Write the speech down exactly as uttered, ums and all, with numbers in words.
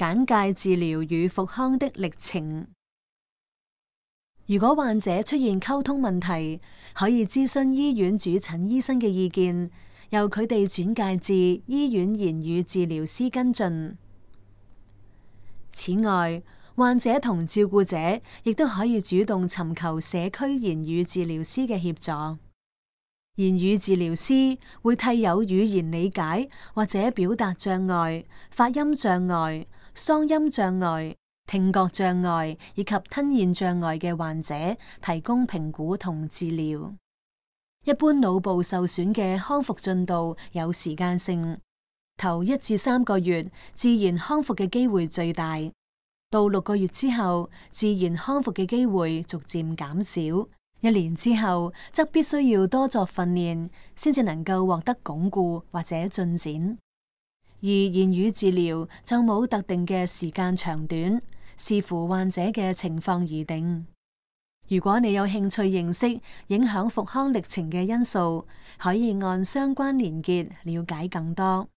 簡介治療與復康的歷程。如果患者出現溝通問題，可以諮詢醫院主診醫生嘅意見，由佢哋轉介至醫院言語治療師跟進。此外，患者同照顧者亦都可以主動尋求社區言語治療師嘅協助。言語治療師會替有語言理解或者表達障礙、發音障礙、嗓音障礙、聽覺障礙以及吞嚥障礙嘅患者提供評估同治療。一般腦部受損嘅康復進度有時間性，頭一至三個月自然康復嘅機會最大，到六個月之後自然康復嘅機會逐漸減少。一年之後，則必須要多作訓練，先至能夠獲得鞏固或者進展。而言語治療就冇特定嘅時間長短，視乎患者嘅情況而定。如果你有興趣認識影響復康歷程嘅因素，可以按相關連結了解更多。